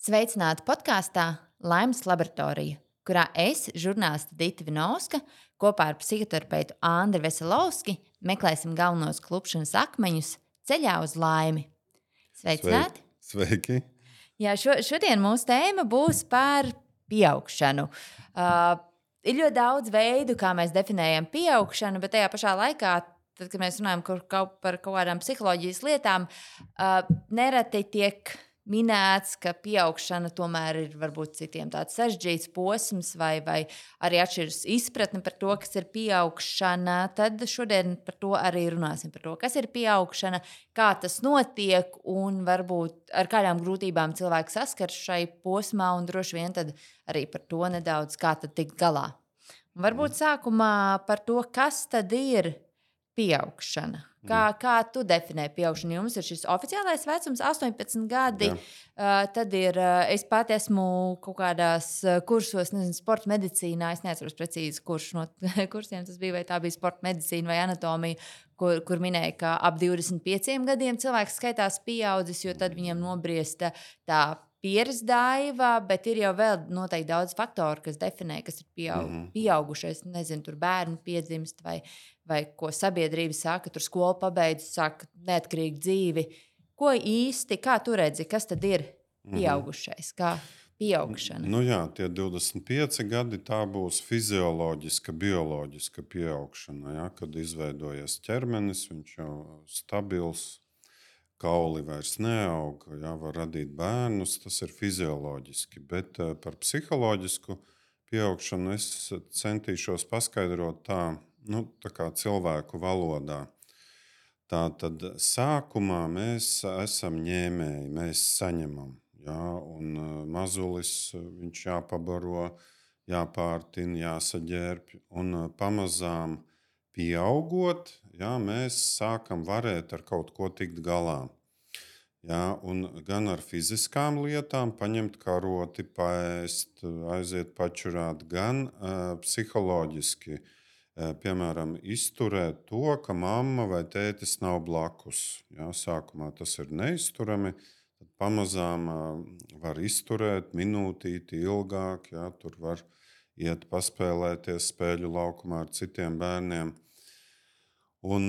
Sveicināti podkāstā Laimes laboratorija, kurā es, žurnāliste Dita Vinovska, kopā ar psihoterapeitu Andri Veselovski meklēsim galvenos klupšanas akmeņus ceļā uz laimi. Sveiki! Sveicināti! Sveiki. Jā, šodien mūsu tēma būs par pieaugšanu. Ir ļoti daudz veidu, kā mēs definējam pieaugšanu, bet tajā pašā laikā, tad, kad mēs runājam par kaut kādām psiholoģijas lietām, nereti tiek minēts, ka pieaugšana tomēr ir varbūt citiem tāds sarežģīts posms, vai arī atšķiras izpratne par to, kas ir pieaugšana. Tad šodien par to arī runāsim. Par to, kas ir pieaugšana, kā tas notiek un varbūt ar kādām grūtībām cilvēks saskars šai posmā, un droši vien tad arī par to nedaudz, kā tad tikt galā. Un varbūt sākumā par to, kas tad ir pieaugšana. Kā tu definē pieaugšanu? Jums ir šis oficiālais vecums, 18 gadi. Tad ir, es pati esmu kaut kādās kursos, nezinu, sporta medicīnā. Es neatceros precīzi, kurš no kursiem tas bija, vai tā bija sporta medicīna vai anatomija, kur minēja, ka ap 25 gadiem cilvēks skaitās pieaudzis, jo tad viņam nobriesta tā pieres daiva, bet ir jau vēl noteikti daudz faktoru, kas definē, kas ir pieaugušais. Nezinu, tur bērni piedzimst vai ko sabiedrība saka, tur skolu pabeidz, saka neatkarīgu dzīvi. Ko īsti, kā tu redzi, kas tad ir pieaugušais, kā pieaugšana? Nu jā, tie 25 gadi tā būs fizioloģiska, bioloģiska pieaugšana, ja, kad izveidojas ķermenis, viņš jau stabils, kauli vairs neaug, ja, var radīt bērnus, tas ir fizioloģiski. Bet par psiholoģisku pieaugšanu es centīšos paskaidrot tā kā cilvēku valodā. Tātad sākumā mēs esam ņēmēji, mēs saņemam. Ja, un mazulis viņš jāpabaro, jāpārtina, jāsaģērbj. Un pamazām pieaugot, ja, mēs sākam varēt ar kaut ko tikt galā. Ja, un gan ar fiziskām lietām, paņemt karoti, paēst, aiziet pačurāt, gan psiholoģiski. Piemēram, izturēt to, ka mamma vai tētis nav blakus. Ja, sākumā tas ir neizturami, tad pamazām var izturēt minūtīti ilgāk. Ja, tur var iet paspēlēties spēļu laukumā ar citiem bērniem. Un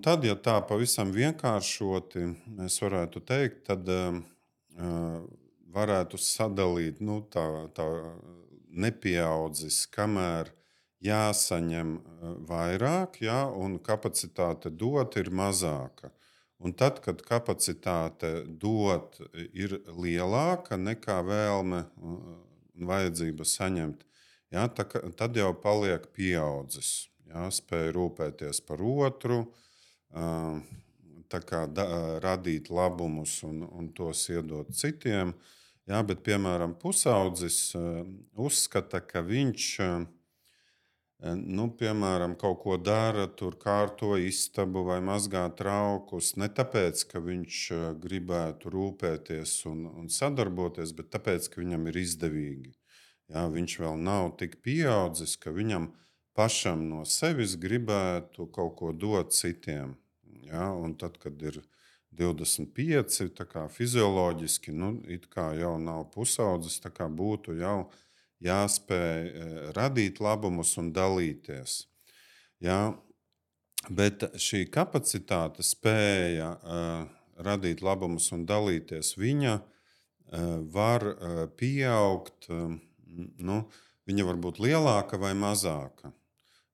tad, ja tā pavisam vienkāršoti mēs varētu teikt, tad varētu sadalīt tā nepieaudzis, kamēr jāsaņem vairāk, ja, un kapacitāte dot ir mazāka. Un tad, kad kapacitāte dot ir lielāka nekā vēlme un vajadzība saņemt, ja, tad jau paliek pieaudzis. Ja, spēj rūpēties par otru, radīt labumus un tos iedot citiem. Ja, bet, piemēram, pusaudzis uzskata, ka viņš piemēram, kaut ko dara, tur kārto istabu vai mazgā traukus, ne tāpēc, ka viņš gribētu rūpēties un sadarboties, bet tāpēc, ka viņam ir izdevīgi. Ja, viņš vēl nav tik pieaudzis, ka viņam pašam no sevis gribētu kaut ko dot citiem. Ja, un tad, kad ir 25, tā kā fizioloģiski, it kā jau nav pusaudzis, tā kā būtu jau jāspēj radīt labumus un dalīties. Ja, bet šī kapacitāte, spēja radīt labumus un dalīties, viņa var pieaugt, viņa var būt lielāka vai mazāka.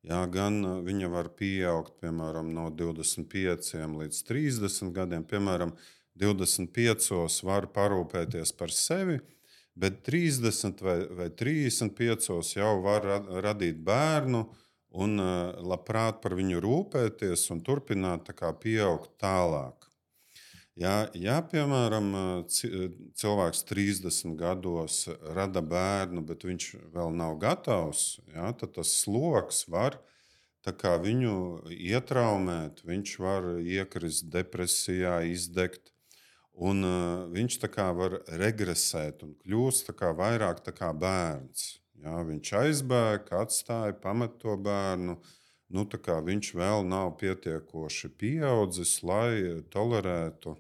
Ja, gan viņa var pieaugt, piemēram, no 25 līdz 30 gadiem. Piemēram, 25 var parūpēties par sevi, bet 30 vai 35 jau var radīt bērnu un labprāt par viņu rūpēties un turpināt tā kā pieaugt tālāk. Ja piemēram, cilvēks 30 gados rada bērnu, bet viņš vēl nav gatavs, ja, tad tas sloks var viņu ietraumēt, viņš var iekrist depresijā, izdegt, un viņš var regresēt un kļūst vairāk kā bērns. Ja, viņš aizbēg, atstāja, pamet to bērnu. Viņš vēl nav pietiekoši pieaudzis, lai tolerētu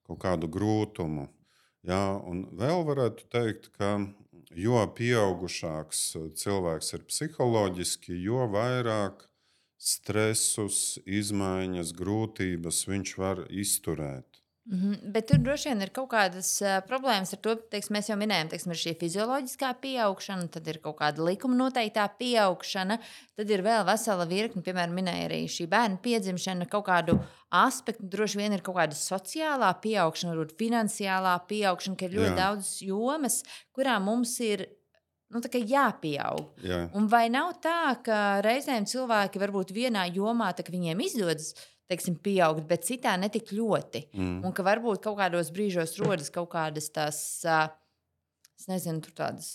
kaut kādu grūtumu. Jā, un vēl varētu teikt, ka jo pieaugušāks cilvēks ir psiholoģiski, jo vairāk stresus, izmaiņas, grūtības viņš var izturēt. Bet tur droši vien ir kaut kādas problēmas ar to, teiksim, mēs jau minējām, teiksim, ir šī fizioloģiskā pieaugšana, tad ir kaut kāda likuma noteiktā pieaugšana, tad ir vēl vesela virkne, piemēram, minēja arī šī bērna piedzimšana, kaut kādu aspektu, droši vien ir kaut kāda sociālā pieaugšana, varbūt finansiālā pieaugšana, ka ir ļoti Jā, daudz jomas, kurām mums ir tā kā jāpieaug. jā, Un vai nav tā, ka reizēm cilvēki varbūt vienā jomā tā, ka viņiem izdodas, teiksim, pieaugt, bet citā netik ļoti? Un ka varbūt kaut kādos brīžos rodas kaut kādas tās, es nezinu, tur tādas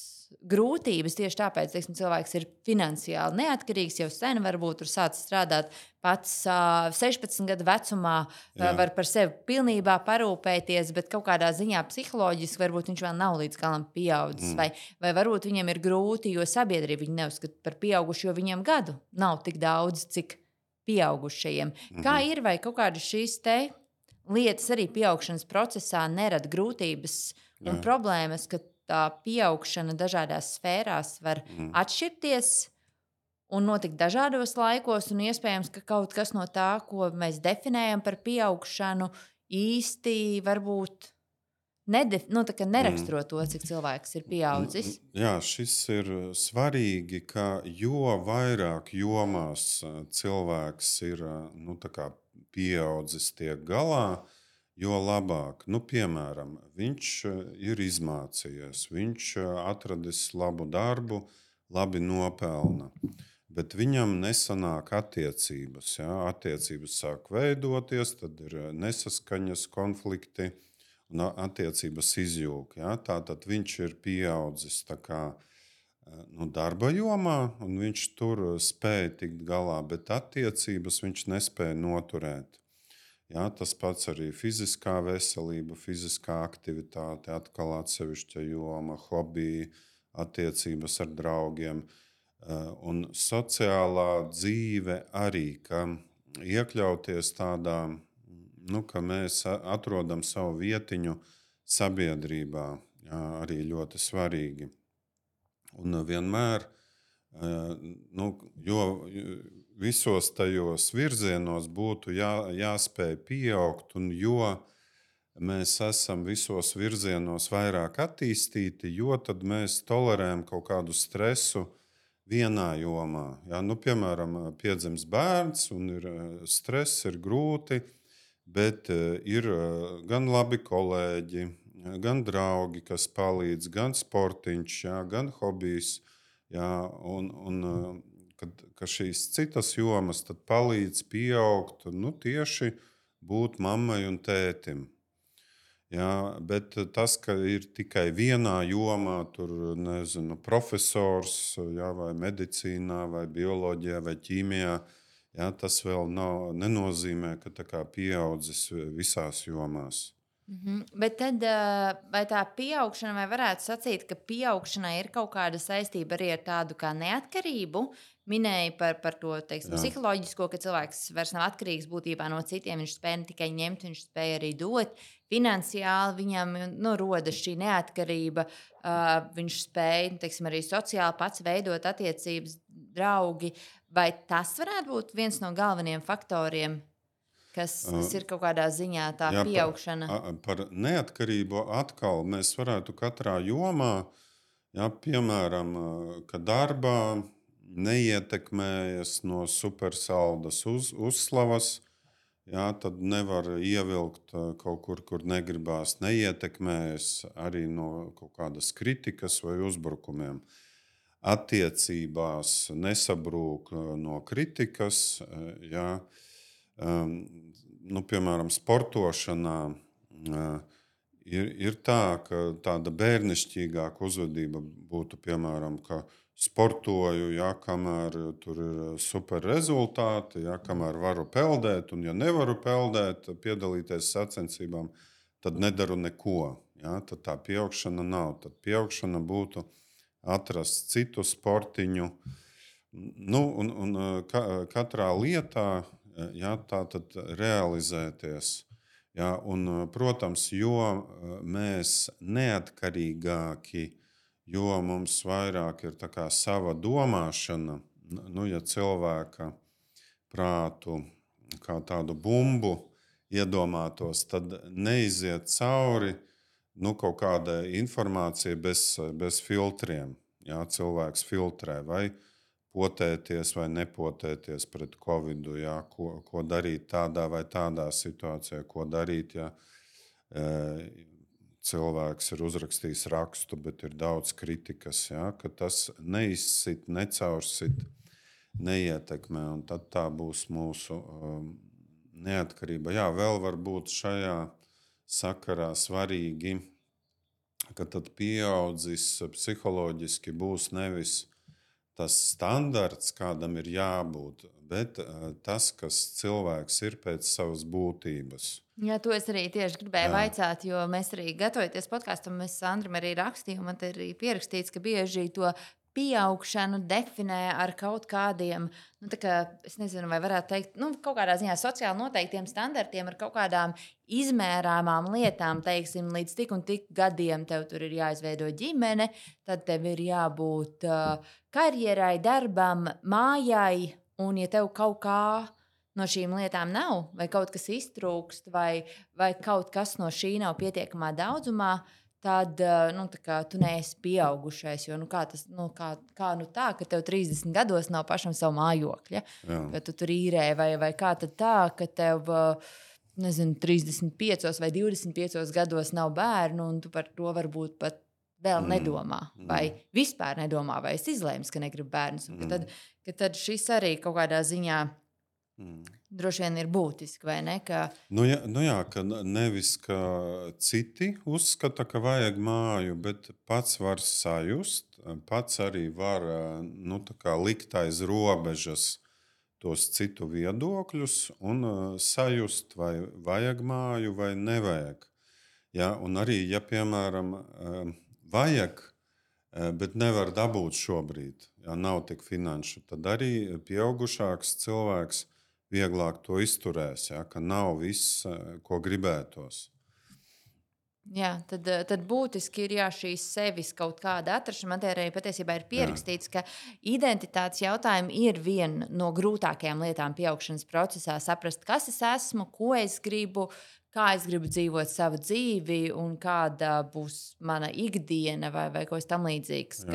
grūtības tieši tāpēc, teiksim, cilvēks ir finansiāli neatkarīgs, jau sen varbūt tur sācis strādāt pats 16 gadu vecumā, jā. var par sevi pilnībā parūpēties, bet kaut kādā ziņā psiholoģiski varbūt viņš vēl nav līdz galam pieaudzis, vai varbūt viņam ir grūti, jo sabiedrība viņu neuzskata par pieaugušu, jo viņam gadu nav tik daudz, cik pieaugušajiem. Kā ir, vai kaut kādas šīs lietas arī pieaugšanas procesā nerada grūtības un problēmas, ka tā pieaugšana dažādās sfērās var atšķirties un notikt dažādos laikos, un iespējams, ka kaut kas no tā, ko mēs definējam par pieaugšanu, īsti varbūt neraksturo to, cik cilvēks ir pieaudzis. Jā, šis ir svarīgi, ka jo vairāk jomās cilvēks ir pieaudzis tiek galā, jo labāk. Piemēram, viņš ir izmācījies, viņš atradis labu darbu, labi nopelna. Bet viņam nesanāk attiecības. Ja? Attiecības sāk veidoties, tad ir nesaskaņas, konflikti. Un attiecības izjūg. Ja? Tātad viņš ir pieaudzis darba jomā, un viņš tur spēja tikt galā, bet attiecības viņš nespēja noturēt. Ja? Tas pats arī fiziskā veselība, fiziskā aktivitāte, atkal atsevišķa joma, hobiji, attiecības ar draugiem. Un sociālā dzīve arī, ka iekļauties tādā, ka mēs atrodam savu vietiņu sabiedrībā, arī ļoti svarīgi. Un vienmēr, jo visos tajos virzienos būtu jāspēj pieaugt, un jo mēs esam visos virzienos vairāk attīstīti, jo tad mēs tolerējam kaut kādu stresu vienā jomā. Ja? Piemēram, piedzimst bērns, un ir stress, ir grūti. Bet ir gan labi kolēģi, gan draugi, kas palīdz, gan sportiņš, gan hobijs. Ka šīs citas jomas palīdz pieaugt, tieši būt mammai un tētim. Bet tas, ka ir tikai vienā jomā, tur nezinu, profesors, vai medicīnā, vai bioloģijā, vai ķīmijā, tas vēl nenozīmē, ka pieaudzis visās jomās. Bet tad, vai tā pieaugšana, vai varētu sacīt, ka pieaugšanai ir kaut kāda saistība arī ar tādu kā neatkarību? Minēja par to psiholoģisko, ka cilvēks vairs nav atkarīgs būtībā no citiem. Viņš spēja ne tikai ņemt, viņš spēja arī dot. Finansiāli viņam rodas šī neatkarība. Viņš spēja arī sociāli pats veidot attiecības, draugi. Vai tas varētu būt viens no galvenajiem faktoriem, kas ir kaut kādā ziņā tā pieaugšana? Par neatkarību atkal mēs varētu katrā jomā, piemēram, ka darbā neietekmējas no supersaldas uzslavas, tad nevar ievilkt kaut kur negribās, neietekmējas arī no kaut kādas kritikas vai uzbrukumiem. Attiecībās nesabrūk no kritikas, piemēram, sportošanā ir tā, ka tāda bērnišķīgāka uzvedība būtu, piemēram, ka sportoju, kamēr tur ir super rezultāti, kamēr varu peldēt, un ja nevaru peldēt, piedalīties sacensībām, tad nedaru neko. Tad tā pieaugšana nav. Tad pieaugšana būtu atrast citu sportiņu. Katrā lietā tā tad realizēties. Ja, un, protams, jo mēs neatkarīgāki, jo mums vairāk ir tā kā sava domāšana, nu, ja cilvēka prātu kā tādu bumbu iedomātos, tad neiziet cauri kaut kāda informācija bez filtriem. Jā, cilvēks filtrē vai potēties vai nepotēties pret covid, jā, ko darīt tādā vai tādā situācijā, ko darīt, ja cilvēks ir uzrakstījis rakstu, bet ir daudz kritikas, jā, ka tas neizsit, necaursit, neietekmē, un tad tā būs mūsu neatkarība. Jā, vēl var būt šajā sakarā svarīgi, ka tad pieaudzis psiholoģiski būs nevis tas standarts, kādam ir jābūt, bet tas, kas cilvēks ir pēc savas būtības. Jā, to es arī tieši gribēju vaicāt, jo mēs arī gatavojamies podkāstam, mēs Andrim arī rakstījām, man te ir pierakstīts, ka bieži to pieaugšanu definē ar kaut kādiem, es nezinu, vai varētu teikt, kaut kādā ziņā sociāli noteiktiem standartiem, ar kaut kādām izmērāmām lietām, teiksim, līdz tik un tik gadiem tev tur ir jāizveido ģimene, tad tev ir jābūt karjerai, darbam, mājai, un ja tev kaut kā no šīm lietām nav, vai kaut kas iztrūkst, vai kaut kas no šī nav pietiekamā daudzumā, tad tu neesi pieaugušais. Jo, kā tā, ka tev 30 gados nav pašam savu mājokļa, ka tu tur īrē, vai kā tad tā, ka tev 35 vai 25 gados nav bērnu, un tu par to varbūt pat vēl nedomā, vai vispār nedomā, vai esi izlēmis, ka negribu bērnus. Tad šis arī kaut kādā ziņā droši vien ir būtiski, vai ne? Ka ka nevis ka citi uzskata, ka vajag māju, bet pats var sajust, pats arī var likt aiz robežas tos citu viedokļus un sajust, vai vajag māju vai nevajag. Ja, un arī, ja piemēram vajag, bet nevar dabūt šobrīd, ja nav tik finanšu, tad arī pieaugušāks cilvēks vieglāk to izturēs, ja, ka nav viss, ko gribētos. Jā, tad būtiski ir šīs sevis kaut kāda atrašana. Man te arī patiesībā ir pierakstīts, ka identitātes jautājumi ir viena no grūtākajām lietām pieaugšanas procesā. Saprast, kas es esmu, ko es gribu, kā es gribu dzīvot savu dzīvi un kāda būs mana ikdiena vai ko tam līdzīgs.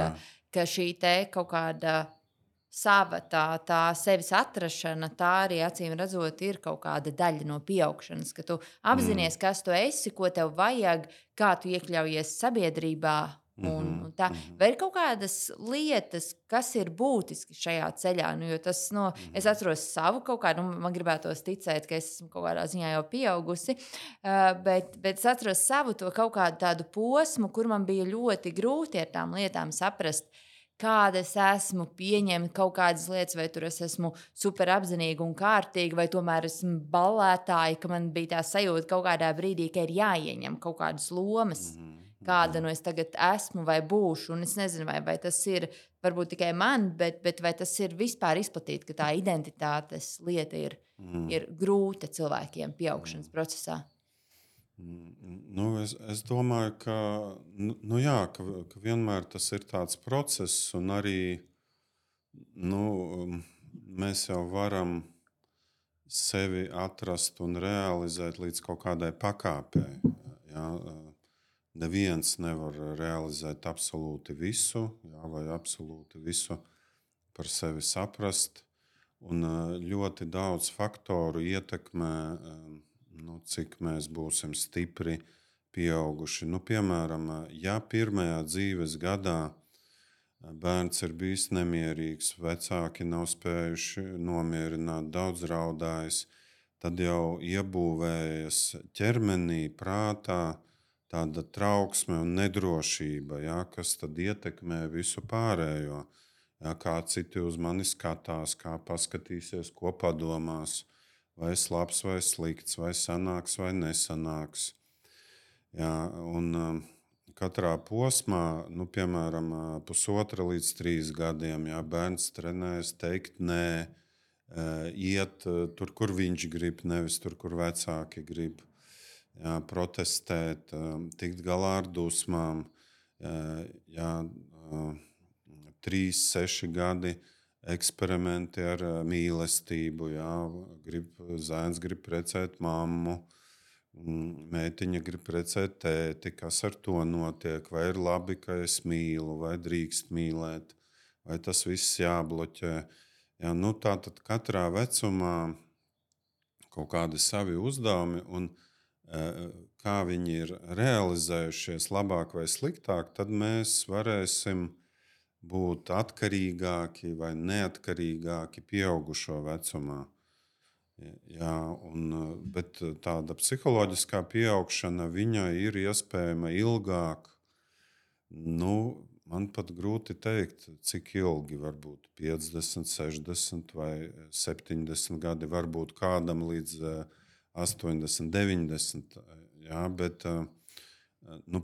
Ka šī te kaut kāda sava tā sevis atrašana, tā arī acīm redzot, ir kaut kāda daļa no pieaugšanas, ka tu apzinājies, kas tu esi, ko tev vajag, kā tu iekļaujies sabiedrībā. Un tā. Vai ir kaut kādas lietas, kas ir būtiski šajā ceļā? Jo tas, es atceros savu kaut kādu, man gribētos ticēt, ka es esmu kaut kādā ziņā jau pieaugusi, bet es atceros savu to kaut kādu tādu posmu, kur man bija ļoti grūti ar tām lietām saprast, kāda es esmu, pieņemt kaut kādas lietas, vai tur es esmu super apzinīga un kārtīga, vai tomēr esmu ballētāja, ka man bija tā sajūta kaut kādā brīdī, ka ir jāieņem kaut kādas lomas, kāda es tagad esmu vai būšu. Un es nezinu, vai tas ir varbūt tikai man, bet vai tas ir vispār izplatīti, ka tā identitātes lieta ir grūta cilvēkiem pieaugšanas procesā. Es domāju, ka vienmēr tas ir tāds process, un arī mēs jau varam sevi atrast un realizēt līdz kaut kādai pakāpei. Ja? Neviens nevar realizēt absolūti visu, vai absolūti visu par sevi saprast, un ļoti daudz faktoru ietekmē, cik mēs būsim stipri pieauguši. Piemēram, ja pirmajā dzīves gadā bērns ir bijis nemierīgs, vecāki nav spējuši nomierināt, daudz raudājis, tad jau iebūvējas ķermenī, prātā tāda trauksme un nedrošība, kas tad ietekmē visu pārējo. Kā citi uz mani skatās, kā paskatīsies, ko padomās. Vai es labs vai slikts, vai sanāks vai nesanāks. Un katrā posmā, piemēram, 1,5 līdz 3 gadiem, bērns trenējas teikt nē, iet tur, kur viņš grib, nevis tur, kur vecāki grib. jā, protestēt, tikt galā ar dusmām. Jā, 3, 6 gadi eksperimenti ar mīlestību. Jā, zēns grib precēt mammu, meitiņa grib precēt tēti. Kas ar to notiek? Vai ir labi, ka es mīlu, vai drīkst mīlēt, vai tas viss jābloķē? Jā, tā tad katrā vecumā kaut kādi savi uzdevumi, un kā viņi ir realizējušies labāk vai sliktāk, tad mēs varēsim būt atkarīgāki vai neatkarīgāki pieaugušo vecumā. Jā, bet tāda psiholoģiskā pieaugšana viņa ir iespējama ilgāk. Man pat grūti pateikt, cik ilgi, varbūt 50, 60 vai 70 gadi, varbūt kādam līdz 80, 90. Jā, bet,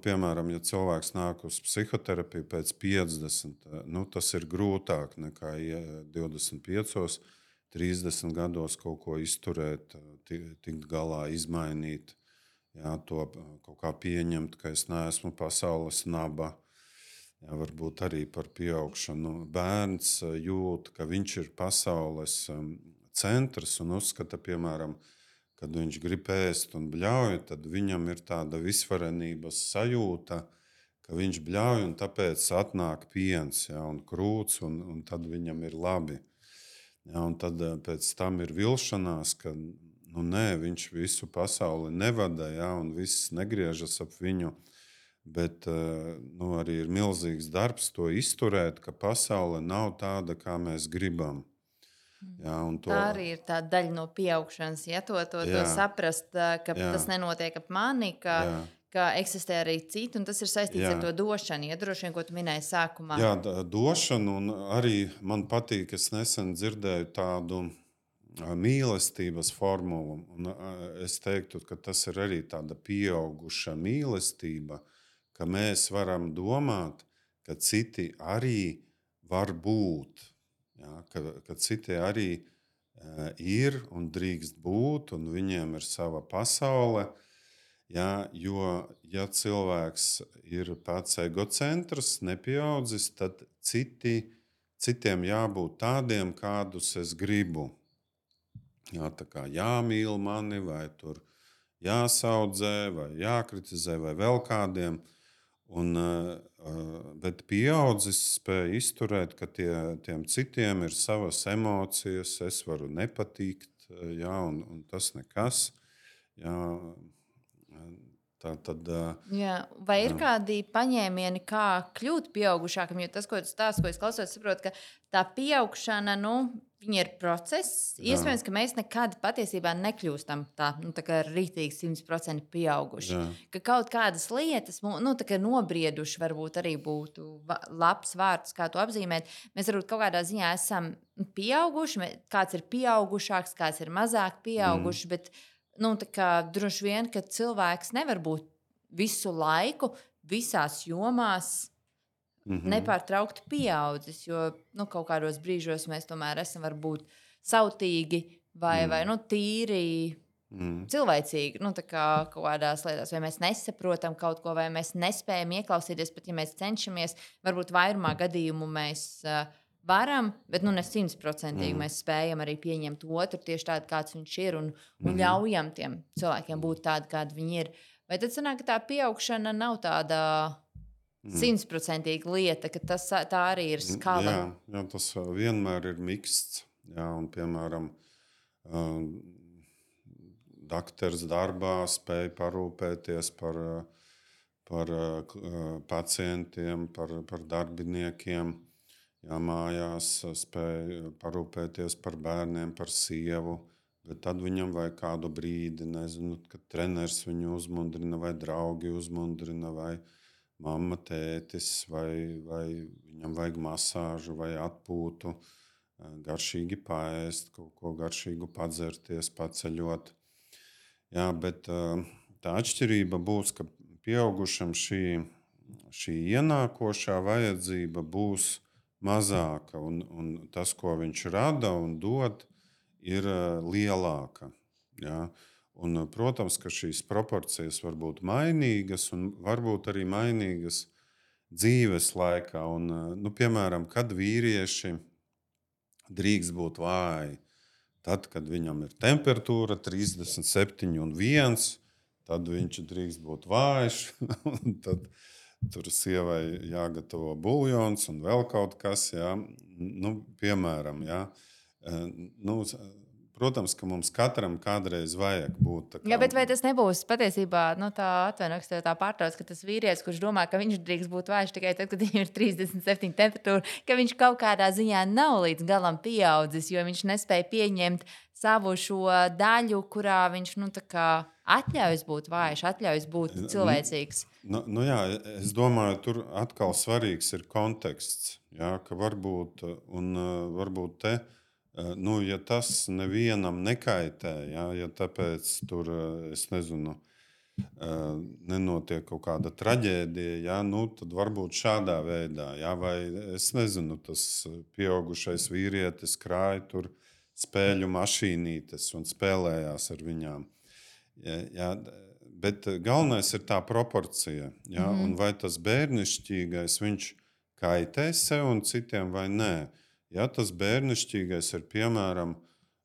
piemēram, ja cilvēks nāk uz psihoterapiju pēc 50, tas ir grūtāk nekā 25, 30 gados kaut ko izturēt, tikt galā, izmainīt, jā, to kaut kā pieņemt, ka es neesmu pasaules naba. Jā, varbūt arī par pieaugšanu. Bērns jūt, ka viņš ir pasaules centrs un uzskata, piemēram, kad viņš grib ēst un bļauj, tad viņam ir tāda visvarenības sajūta, ka viņš bļauj un tāpēc atnāk piens, jā, un krūts, un tad viņam ir labi. Jā, un tad pēc tam ir vilšanās, ka nē, viņš visu pasauli nevada, jā, un viss negriežas ap viņu. Bet arī ir milzīgs darbs to izturēt, ka pasaule nav tāda, kā mēs gribam. Jā, tā arī ir tā daļa no pieaugšanas, ja to saprast, ka tas nenotiek ap mani, ka eksistē arī citi, un tas ir saistīts ar to došanu, ja droši vien, ko tu minēji sākumā. Jā, došanu, un arī man patīk, es nesen dzirdēju tādu mīlestības formulu, un es teiktu, ka tas ir arī tāda pieauguša mīlestība, ka mēs varam domāt, ka citi arī var būt. Jā, ka citi arī ir un drīkst būt, un viņiem ir sava pasaule. Jā, jo, ja cilvēks ir pats egocentrs, nepieaudzis, tad citiem jābūt tādiem, kādus es gribu. Jā, tā kā jāmīl mani, vai tur jāsaudzē, vai jākritizē, vai vēl kādiem. Bet pieaudzis spēja izturēt, ka tiem citiem ir savas emocijas, es varu nepatikt, jā, un tas nekas. Jā, jā, vai ir kādi paņēmieni, kā kļūt pieaugušākam? Jo tas, ko tu stāsti, ko es klausos, saprotu, ka tā pieaugšana, viņa ir process. Iespējams, ka mēs nekad patiesībā nekļūstam tā kā rītīgi 100% pieauguši. Jā. Ka kaut kādas lietas, tā kā nobrieduši, varbūt arī būtu labs vārds, kā to apzīmēt. Mēs varbūt kaut kādā ziņā esam pieauguši, kāds ir pieaugušāks, kāds ir mazāk pieauguši, bet droši vien, ka cilvēks nevar būt visu laiku, visās jomās nepārtraukti pieaudzis, jo kaut kādos brīžos mēs tomēr esam varbūt sautīgi vai tīri cilvēcīgi, kaut kādās lietās, vai mēs nesaprotam kaut ko, vai mēs nespējam ieklausīties, pat ja mēs cenšamies, varbūt vairumā gadījumu mēs varam, bet ne 100%. Mēs spējam arī pieņemt otru tieši tādu, kāds viņš ir, un ļaujam tiem cilvēkiem būt tādi, kādi viņi ir. Vai tad sanāk, ka tā pieaugšana nav tāda 100% lieta, ka tā arī ir skala? Jā, tas vienmēr ir miksts. Jā, un, piemēram, dakteris darbā spēja parūpēties par pacientiem, par darbiniekiem. Jā, mājās spēja parūpēties par bērniem, par sievu, bet tad viņam vajag kādu brīdi, nezinu, kad treneris viņu uzmundrina, vai draugi uzmundrina, vai mamma, tētis, vai viņam vajag masāžu vai atpūtu, garšīgi paēst, kaut ko garšīgu padzerties, paceļot. Jā, bet tā atšķirība būs, ka pieaugušam šī ienākošā vajadzība būs mazāka, un tas, ko viņš rada un dod, ir lielāka. Ja? Protams, ka šīs proporcijas var būt mainīgas un varbūt arī mainīgas dzīves laikā. Piemēram, kad vīrieši drīkst būt vāji, tad, kad viņam ir temperatūra 37,1, tad viņš drīkst būt vājš. Tad tur sievai jāgatavo buļļons un vēl kaut kas, jā. Piemēram, jā. Protams, ka mums katram kādreiz vajag būt tā kā... Jā, bet vai tas nebūs patiesībā tā atvainojas, tā pārtrauc, ka tas vīrietis, kurš domā, ka viņš drīkst būt vājš tikai tad, kad viņam ir 37 temperatūra, ka viņš kaut kādā ziņā nav līdz galam pieaudzis, jo viņš nespēja pieņemt savu šo daļu, kurā viņš atļaujas būt vājš, atļaujas būt cilvēcīgs. Jā, es domāju, tur atkal svarīgs ir konteksts, jā, ka varbūt te ja tas nevienam nekaitē, ja tāpēc tur, es nezinu, nenotiek kaut kāda traģēdija, tad varbūt šādā veidā, vai es nezinu, tas pieaugušais vīrietis krāja tur spēļu mašīnītes un spēlējās ar viņām. Bet galvenais ir tā proporcija, un vai tas bērnišķīgais viņš kaitē sev un citiem vai nē. Ja tas bērnišķīgais ir, piemēram,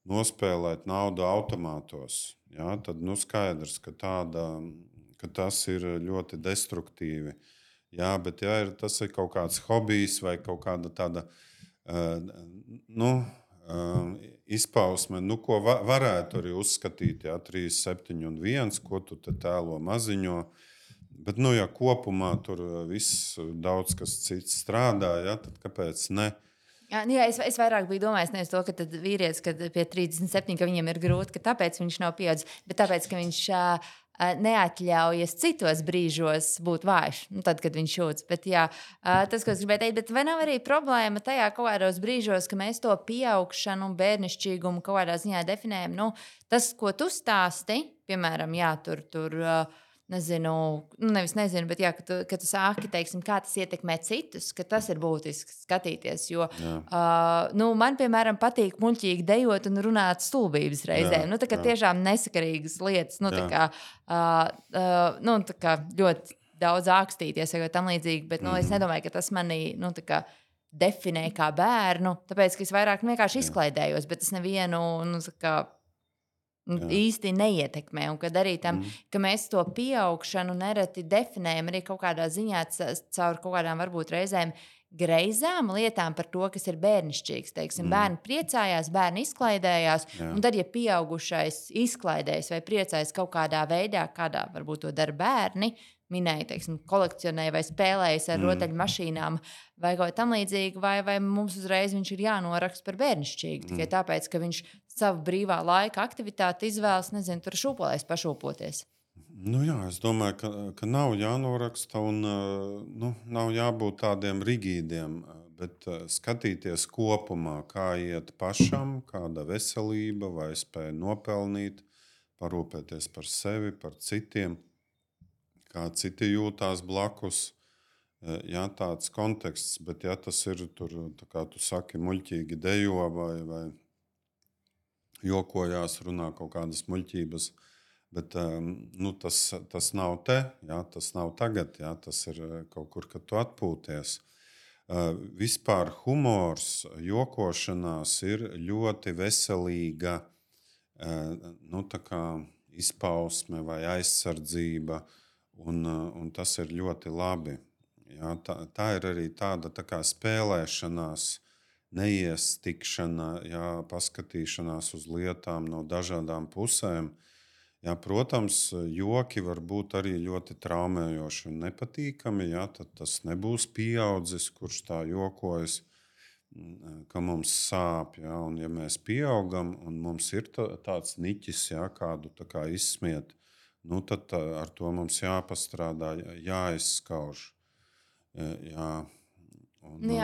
nospēlēt naudu automātos, tad skaidrs, ka tas ir ļoti destruktīvi. Bet tas ir kaut kāds hobijs vai kaut kāda tāda izpausme, ko varētu arī uzskatīt, 37,1, ko tu te tēlo maziņo. Bet, ja kopumā tur viss daudz kas cits strādā, tad kāpēc ne? Es vairāk biju domājis nevis to, ka vīrietis, kad pie 37, ka viņam ir grūti, ka tāpēc viņš nav pieaudzis, bet tāpēc, ka viņš neatļaujas citos brīžos būt vājš, tad, kad viņš jūtas. Bet tas, ko es gribēju teikt, bet vai nav arī problēma tajā kaut kādos brīžos, ka mēs to pieaugšanu un bērnišķīgumu kaut kādā ziņā definējam? Tas, ko tu stāsti, piemēram, tur nezinu, bet ka tu sāki, teiksim, kā tas ietekmē citus, ka tas ir būtiski skatīties. Jo man, piemēram, patīk muļķīgi dejot un runāt stulbības reizēm. Tiešām nesakarīgas lietas, ļoti daudz ākstīties vai tam līdzīgi, bet es nedomāju, ka tas mani definē kā bērnu, tāpēc, ka es vairāk vienkārši izklaidējos, bet es nevienu īsti neietekmē. Un kad arī tam, ka mēs to pieaugšanu nereti definējam arī kaut kādā ziņā caur kaut kādām varbūt reizēm greizām lietām par to, kas ir bērnišķīgs. Teiksim, bērni priecājās, bērni izklaidējās, un tad, ja pieaugušais izklaidējas vai priecājas kaut kādā veidā, kādā varbūt to dara bērni, minēja, teiksim, kolekcionēja vai spēlējas ar rotaļmašīnām vai kaut tam līdzīgi, vai mums uzreiz viņš ir jānoraksta par bērnišķīgu. Tikai tāpēc, ka viņš savu brīvā laika aktivitāti izvēlas, nezinu, tur šūpolēs pašūpoties. Es domāju, ka nav jānoraksta un nav jābūt tādiem rigīdiem, bet skatīties kopumā, kā iet pašam, kāda veselība vai spēja nopelnīt, parūpēties par sevi, par citiem, kā citi jūtās blakus. Tāds konteksts, bet tas ir tur, tā kā tu saki, muļķīgi dejo vai jokojās, runā kaut kādas muļķības, bet tas nav te, tas nav tagad, tas ir kaut kur, kad tu atpūties. Vispār humors, jokošanās ir ļoti veselīga tā kā izpausme vai aizsardzība, un tas ir ļoti labi. Tā ir arī tāda tā kā spēlēšanās, neiestikšana, paskatīšanās uz lietām no dažādām pusēm. Protams, joki var būt arī ļoti traumējoši un nepatīkami. Tad tas nebūs pieaudzis, kurš tā jokojas, ka mums sāp. Un ja mēs pieaugam un mums ir tāds niķis, kādu tā kā izsmiet, tad ar to mums jāpastrādā, jāizskauž.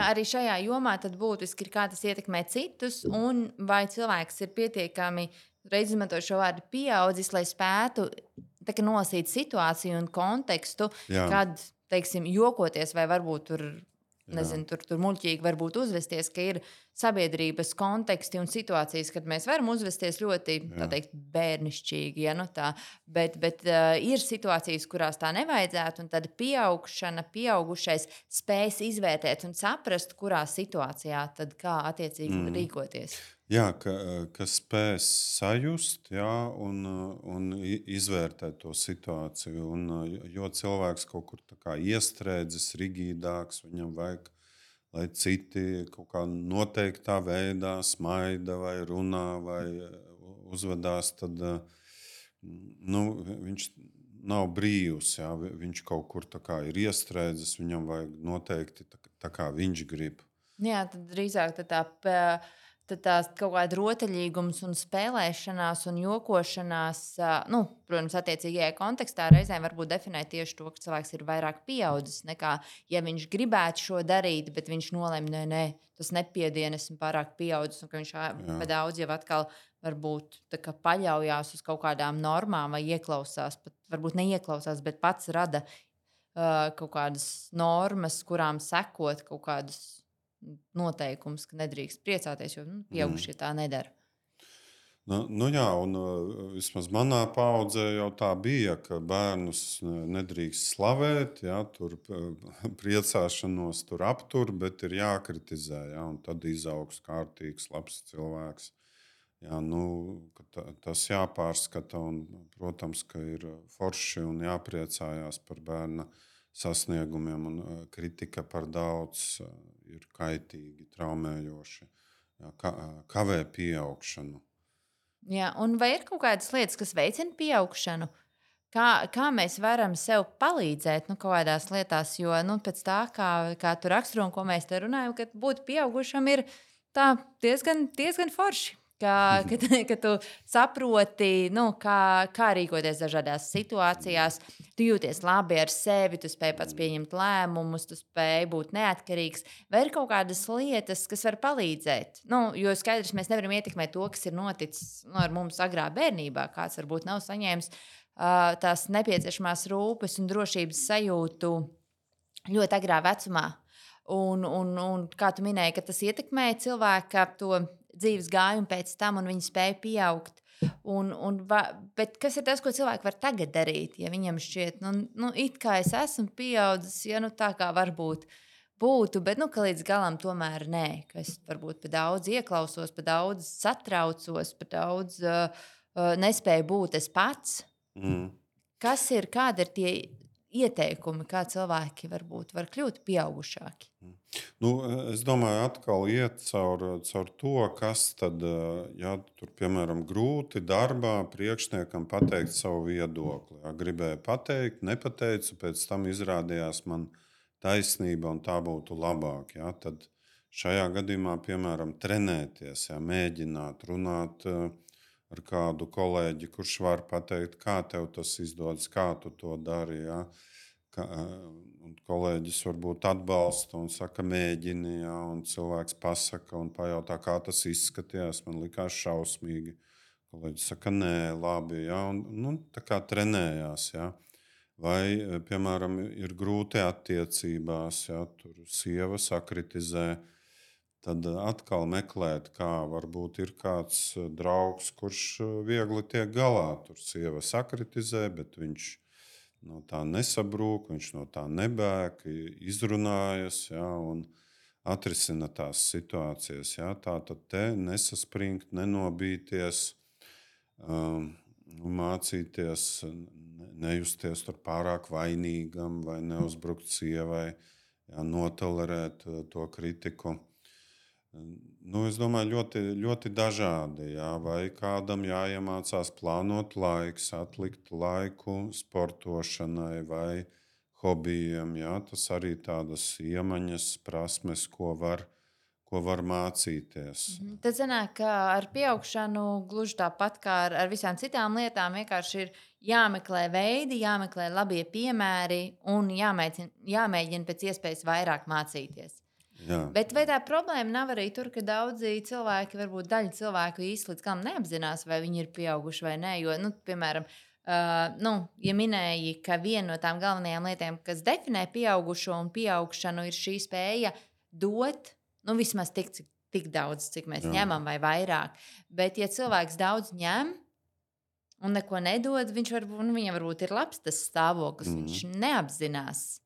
Arī šajā jomā tad būtiski ir, kā tas ietekmē citus, un vai cilvēks ir pietiekami, reiz izmantojot šo vārdu pieaudzis, lai spētu nosīt situāciju un kontekstu, kad, teiksim, jokoties vai varbūt tur nezinu, tur muļķīgi varbūt uzvesties, ka ir sabiedrības konteksti un situācijas, kad mēs varam uzvesties ļoti, tā teikt, bērnišķīgi, ja, nu tā, bet ir situācijas, kurās tā nevajadzētu, un tad pieaugušais spēs izvērtēt un saprast, kurā situācijā tad kā attiecīgi rīkoties. Jā, ka spēs sajust, jā, un izvērtēt to situāciju. Un, jo cilvēks kaut kur tā kā iestrēdzis, rigīdāks, viņam vajag, lai citi kaut kā noteiktā veidā smaida vai runā vai uzvedās, tad viņš nav brīvs. Jā, viņš kaut kur tā kā ir iestrēdzis, viņam vajag noteikti tā kā viņš grib. Jā, tad drīzāk tad tās kaut kāda rotaļīgums un spēlēšanās un jokošanās, protams, attiecīgajā kontekstā reizēm varbūt definē tieši to, ka cilvēks ir vairāk pieaudzis nekā, ja viņš gribētu šo darīt, bet viņš nolemj, nē, tas nepiedien, esmu pārāk pieaudzis, un ka viņš pa daudz jau atkal varbūt tā kā paļaujās uz kaut kādām normām vai ieklausās, pat varbūt neieklausās, bet pats rada kaut kādas normas, kurām sekot kaut kādus noteikums, ka nedrīkst priecāties, jo pieaugušie tā nedara. Jā, un vismaz manā paudzē jau tā bija, ka bērnus nedrīkst slavēt, jā, tur priecāšanos tur aptur, bet ir jākritizē, jā, un tad izaugs kārtīgs, labs cilvēks. Jā, tas jāpārskata, un, protams, ka ir forši un jāpriecājās par bērna sasniegumiem, un kritika par daudz ir kaitīgi, traumējoši, kavē pieaugšanu. Jā, un vai ir kaut kādas lietas, kas veicina pieaugšanu? Kā mēs varam sev palīdzēt kaut kādās lietās, jo pēc tā, kā tu raksturo un ko mēs te runājam, ka būt pieaugušam ir tā diezgan forši. Ka tu saproti, kā rīkoties dažādās situācijās, tu jūties labi ar sevi, tu spēj pats pieņemt lēmumus, tu spēj būt neatkarīgs. Vai ir kaut kādas lietas, kas var palīdzēt? Jo skaidrs, mēs nevaram ietekmēt to, kas ir noticis ar mums agrā bērnībā. Kāds varbūt nav saņēmis tās nepieciešamās rūpes un drošības sajūtu ļoti agrā vecumā. Un kā tu minēji, ka tas ietekmē cilvēka to dzīves gājumu pēc tam, un viņi spēja pieaugt. Bet kas ir tas, ko cilvēki var tagad darīt, ja viņam šķiet, it kā es esmu pieaudzis, ja tā kā varbūt būtu, bet ka līdz galam tomēr nē, ka es varbūt pa daudz ieklausos, pa daudz satraucos, pa daudz nespēju būt es pats. Kādi ir tie ieteikumi, kā cilvēki varbūt var kļūt pieaugušāki? Es domāju, atkal iet caur to, kas tad, ja tur, piemēram, grūti darbā priekšniekam pateikt savu viedokli. Ja, gribēju pateikt, nepateicu, pēc tam izrādījās man taisnība un tā būtu labāk. Ja, tad šajā gadījumā, piemēram, trenēties, ja, mēģināt runāt ar kādu kolēģi, kurš var pateikt, kā tev tas izdodas, kā tu to dari. Ja? Un kolēģis varbūt atbalsta un saka, mēģini, ja? Un cilvēks pasaka un pajautā, kā tas izskatījās. Man likās šausmīgi. Kolēģis saka, nē, labi. Ja? Un, tā kā trenējās. Ja? Vai, piemēram, ir grūti attiecībās, ja? Tur sieva sakritizē. Tad atkal meklēt, kā varbūt ir kāds draugs, kurš viegli tiek galā. Tur sieva sakritizē, bet viņš no tā nesabrūk, viņš no tā nebēg, izrunājas, ja, un atrisina tās situācijas. Ja. Tā tad te nesaspringt, nenobīties, mācīties, nejusties tur pārāk vainīgam vai neuzbrukt sievai, ja, notolerēt to kritiku. Es domāju, ļoti, ļoti dažādi. Jā. Vai kādam jāiemācās plānot laiks, atlikt laiku sportošanai vai hobijiem. Jā. Tas arī tādas iemaņas, prasmes, ko var mācīties. Tad sanāk, ka ar pieaugšanu gluži tāpat kā ar visām citām lietām vienkārši ir jāmeklē veidi, jāmeklē labie piemēri un jāmēģina pēc iespējas vairāk mācīties. Jā. Bet vai tā problēma nav arī tur, ka daudzi cilvēki, varbūt daļa cilvēku īsti līdz galam neapzinās, vai viņi ir pieauguši vai nē? Jo, piemēram, Ja minēji, ka viena no tām galvenajām lietām, kas definē pieaugušo un pieaugšanu, ir šī spēja dot vismaz tik daudz, cik mēs Jā. ņemam, vai vairāk. Bet, ja cilvēks daudz ņem un neko nedod, viņam varbūt ir labs tas stāvoklis, viņš neapzinās.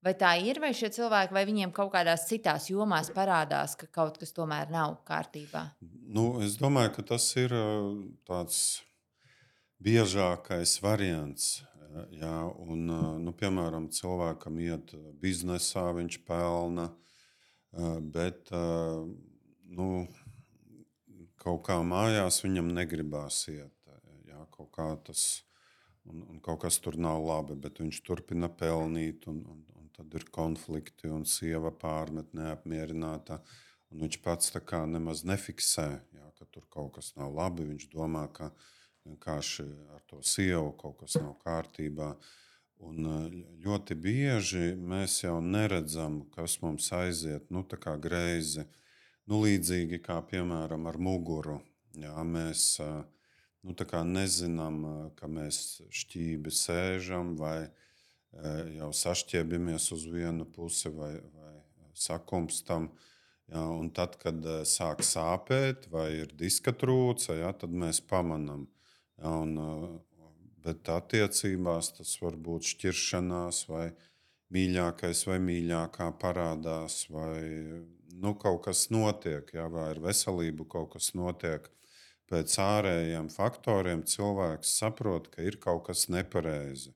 Vai tā ir, vai šie cilvēki, vai viņiem kaut kādās citās jomās parādās, ka kaut kas tomēr nav kārtībā? Es domāju, ka tas ir tāds biežākais variants. Jā, un, piemēram, cilvēkam iet biznesā, viņš pelna, bet kaut kā mājās viņam negribās iet. Jā, kaut kā tas, un kaut kas tur nav labi, bet viņš turpina pelnīt. Un tad ir konflikti, un sieva pārmet neapmierināta. Un viņš pats tā kā nemaz nefiksē, jā, ka tur kaut kas nav labi. Viņš domā, ka vienkārši ar to sievu kaut kas nav kārtībā. Un ļoti bieži mēs jau neredzam, kas mums aiziet tā kā greizi. Līdzīgi kā piemēram ar muguru. Jā, mēs tā kā nezinām, ka mēs šķīvi sēžam vai jau sašķiebamies uz vienu pusi vai sakumstam. Jā, un tad, kad sāk sāpēt vai ir diska trūce, jā, tad mēs pamanām. Jā, bet attiecībās tas var būt šķiršanās vai mīļākais vai mīļākā parādās vai kaut kas notiek, jā, vai ar veselību kaut kas notiek. Pēc ārējiem faktoriem cilvēks saprot, ka ir kaut kas nepareizi.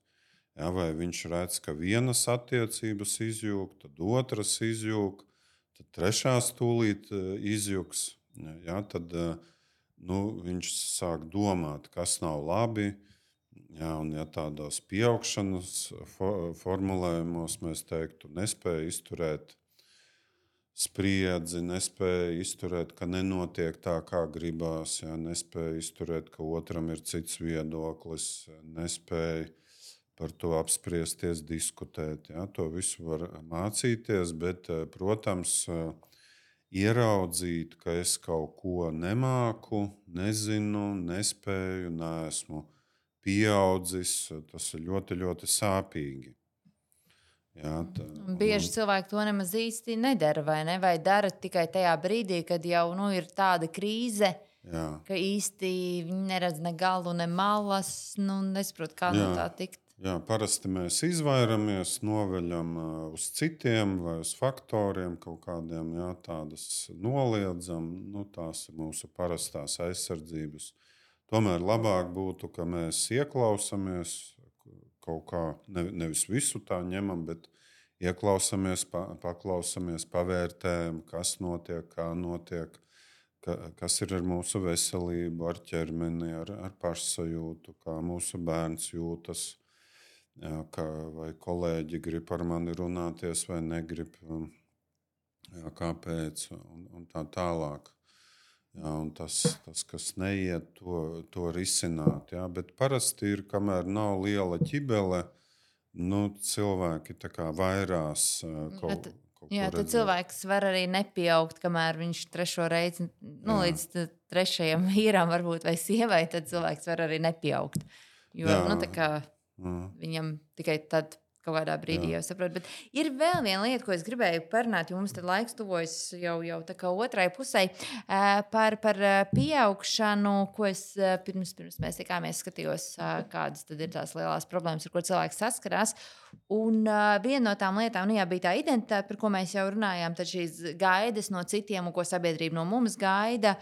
Ja, vai viņš redz, ka vienas attiecības izjūg, tad otras izjūg, tad trešās tūlīt izjūgs. Ja, tad viņš sāk domāt, kas nav labi. Ja, un ja tādos pieaugšanas formulējumos mēs teiktu, nespēja izturēt spriedzi, nespēja izturēt, ka nenotiek tā, kā gribās, ja, nespēja izturēt, ka otram ir cits viedoklis, nespēja par to apspriesties, diskutēt. Ja? To visu var mācīties, bet, protams, ieraudzīt, ka es kaut ko nemāku, nezinu, nespēju, neesmu pieaudzis, tas ir ļoti, ļoti sāpīgi. Ja, Bieži cilvēki to nemaz īsti nedara, vai ne? Vai dara tikai tajā brīdī, kad jau ir tāda krīze, ka īsti viņi neredz ne galu, ne malas, nesaprot, kā no tā tikt. Jā, parasti mēs izvairamies, noveļam uz citiem vai uz faktoriem kaut kādiem, jā, tādas noliedzam. Tās ir mūsu parastās aizsardzības. Tomēr labāk būtu, ka mēs ieklausāmies kaut kā, nevis visu tā ņemam, bet ieklausāmies, paklausāmies, pavērtējam, kas notiek, kā notiek, kas ir ar mūsu veselību, ar ķermeni, ar pašsajūtu, kā mūsu bērns jūtas. Jā, vai kolēģi grib ar mani runāties, vai negrib, jā, kāpēc, un tā tālāk. Jā, un tas, kas neiet, to risināt. Jā, bet parasti ir, kamēr nav liela ķibele, cilvēki tā kā vairās kaut jā, tad cilvēks var arī nepieaugt, kamēr viņš trešo reizi, līdz trešajam vīram varbūt vai sievai, tad cilvēks var arī nepieaugt. Jo, tā kā viņam tikai tad kaut kādā brīdī jau saprot. Bet ir vēl viena lieta, ko es gribēju parunāt, jo mums tad laiks tuvojas jau tā kā otrai pusē, par pieaugšanu, ko es pirms mēs tikāmies skatījos, kādas tad ir tās lielās problēmas, ar ko cilvēks saskarās. Un viena no tām lietām bija tā identitāte, par ko mēs jau runājām, tad šīs gaidas no citiem un ko sabiedrība no mums gaida.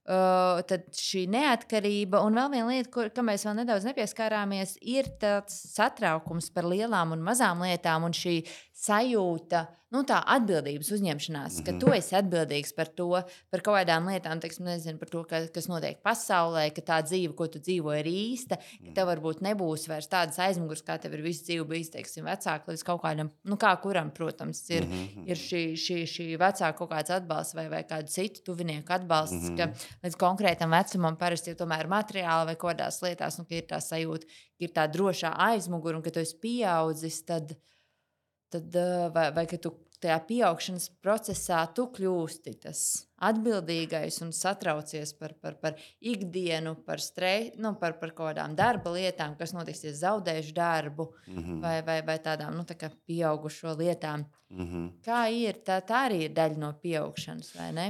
Tad šī neatkarība, un vēl viena lieta, kam mēs vēl nedaudz nepieskārāmies, ir tāds satraukums par lielām un mazām lietām, un šī sajūta, tā atbildības uzņemšanās, ka tu esi atbildīgs par to, par kaut kādām lietām, teiksim, nezinu, par to, kas notiek pasaulē, ka tā dzīve, ko tu dzīvo, ir īsta, ka tev varbūt nebūs vairs tādas aizmugures, kā tev ir visu dzīvi bijis, teiksim, vecāki līdz kaut kādam, kā kuram, protams, ir šī vecāka kaut kāds atbalsts vai kādu citu tuvinieku atbalsts, ka līdz konkrētam vecumam parasti ir tomēr materiāli vai kaut kādās lietās, ka ir tā sajūta, ka ir tā drošā aizmugure un ka tu esi pieaudzis, tad vai ka tu tajā pieaugšanas procesā tu kļūsti tas atbildīgais un satraucies par ikdienu, par stresu, par kaut kādām darba lietām, kas notiks, ja zaudēšu darbu, vai tādām tā kā pieaugušo lietām. Kā ir? Tā arī ir daļa no pieaugšanas, vai ne?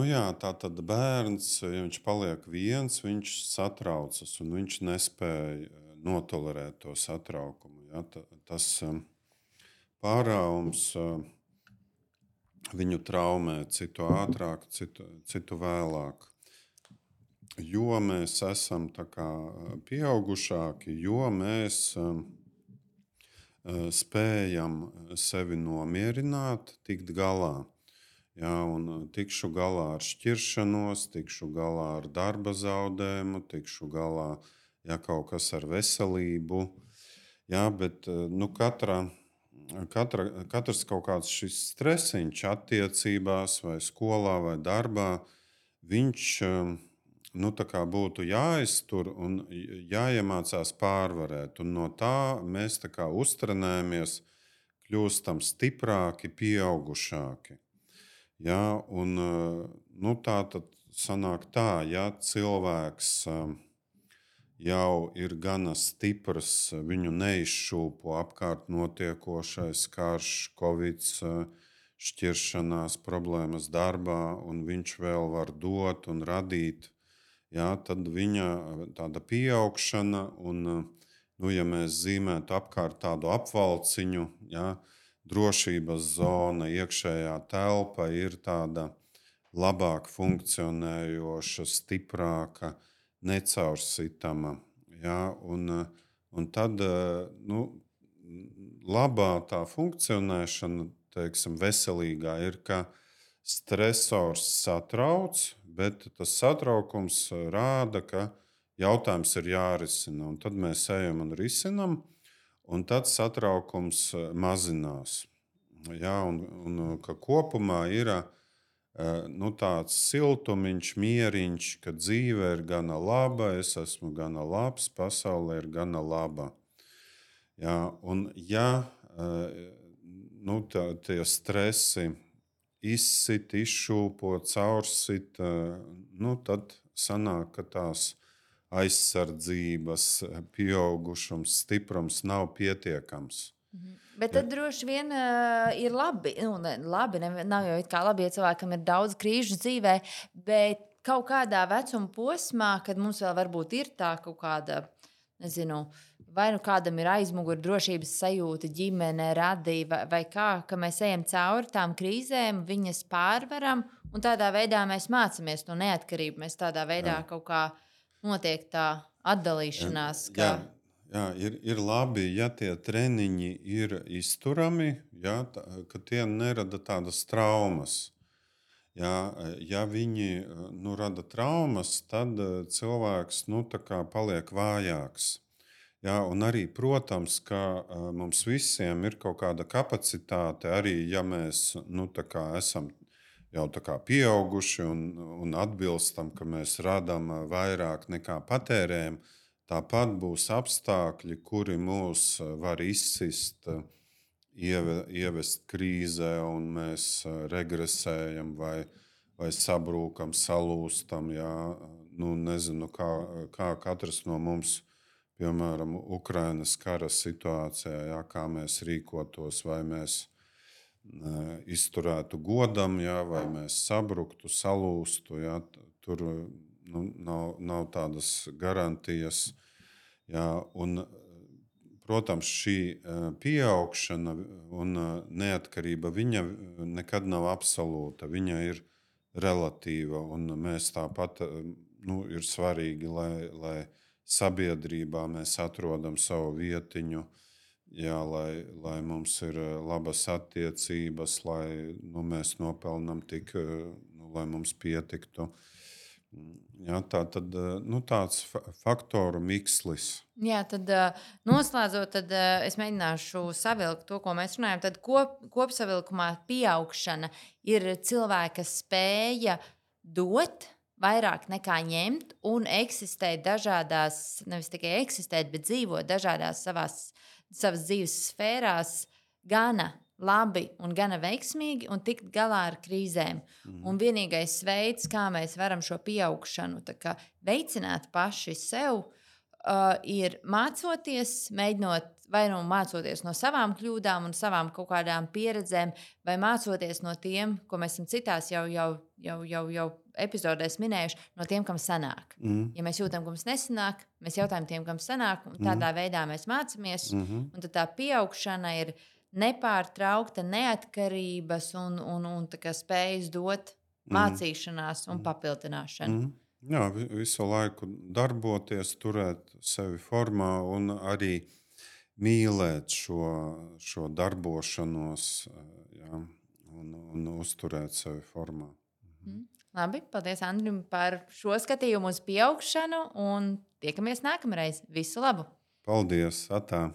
Jā, tā tad bērns, ja viņš paliek viens, viņš satraucas un viņš nespēja notolerēt to satraukumu. Ja? Tas pārāvums viņu traumē citu ātrāk, citu vēlāk. Jo mēs esam tā kā pieaugušāki, jo mēs spējam sevi nomierināt, tikt galā. Jā, un tikšu galā ar šķiršanos, tikšu galā ar darba zaudējumu, tikšu galā kaut kas ar veselību. Jā, bet katrs kaut kāds šis stresiņš attiecībās, vai skolā, vai darbā, viņš būtu jāiztur un jāiemācās pārvarēt. Un no tā mēs uztrenējamies, kļūstam stiprāki, pieaugušāki. Ja, un, tā tad sanāk tā, ja cilvēks jau ir gana stiprs, viņu neizšūpo apkārt notiekošais karš, covid, šķiršanās, problēmas darbā, un viņš vēl var dot un radīt, ja, tad viņa tāda pieaugšana, un, ja mēs zīmētu apkārt tādu apvalciņu, ja, drošības zona, iekšējā telpa ir tāda labāk funkcionējoša, stiprāka, necaursitama. Ja? Un tad labā tā funkcionēšana, teiksim, veselīgā ir, ka stresors satrauc, bet tas satraukums rāda, ka jautājums ir jārisina. Un tad mēs ejam un risinam. Un tad satraukums mazinās. Ja, un ka kopumā ir tāds siltumiņš, mieriņš, ka dzīve ir gana laba, es esmu gana labs, pasaule ir gana laba. Ja, un tie stresi izsit, izšūpo, caursit, tad sanāk, ka tās aizsardzības, pieaugušums, stiprums nav pietiekams. Bet tad droši vien ir labi. Nav jau kā labi, ja cilvēkam ir daudz krīžu dzīvē, bet kaut kādā vecuma posmā, kad mums vēl varbūt ir tā kaut kāda, nezinu, vai kādam ir aizmugure drošības sajūta, ģimene, radība, vai kā, ka mēs ejam cauri tām krīzēm, viņas pārvaram, un tādā veidā mēs mācāmies to neatkarību. Mēs tādā veidā kaut kā notiek tā atdalīšanās. Jā, ir labi, ja tie treniņi ir izturami, ja, ka tie nerada tādas traumas. Ja viņi rada traumas, tad cilvēks paliek vājāks. Ja, un arī, protams, ka mums visiem ir kaut kāda kapacitāte, arī ja mēs esam jau pieauguši un atbilstam, ka mēs radām vairāk nekā patērējam, tāpat būs apstākļi, kuri mūs var izsist, ievest krīzē, un mēs regresējam vai sabrūkam, salūstam. Jā. Nezinu, kā katrs no mums, piemēram, Ukrainas kara situācijā, jā, kā mēs rīkotos, vai mēs izturētu godam, jā, vai mēs sabruktu, salūstu. Jā, tur nav tādas garantijas. Jā, un, protams, šī pieaugšana un neatkarība viņa nekad nav absolūta. Viņa ir relatīva, un mēs tāpat ir svarīgi, lai sabiedrībā mēs atrodam savu vietiņu. Jā, lai mums ir labas attiecības, lai mēs nopelnām tik, lai mums pietiktu. Jā, tāds faktoru mikslis. Jā, tad noslēdzot, tad es mēģināšu savilkt to, ko mēs runājam. Tad kopsavilkumā pieaugšana ir cilvēka spēja dot vairāk nekā ņemt un eksistēt dažādās, nevis tikai eksistēt, bet dzīvot dažādās savas dzīves sfērās gana labi un gana veiksmīgi un tikt galā ar krīzēm. Un vienīgais veids, kā mēs varam šo pieaugšanu veicināt paši sev, ir mācoties, mēģinot vai nu mācoties no savām kļūdām un savām kaut kādām pieredzēm, vai mācoties no tiem, ko mēs esam citās jau epizodēs minējuši, no tiem, kam sanāk. Ja mēs jūtam, ka mums nesanāk, mēs jautājam tiem, kam sanāk, un tādā veidā mēs mācāmies. Un tad tā pieaugšana ir nepārtraukta neatkarības un spējas dot mācīšanās un papildināšanu. Jā, visu laiku darboties, turēt sevi formā un arī mīlēt šo darbošanos, jā, un uzturēt sevi formā. Labi, paldies Andrim par šo skatījumu uz pieaugšanu un tiekamies nākamreiz. Visu labu! Paldies! Atā!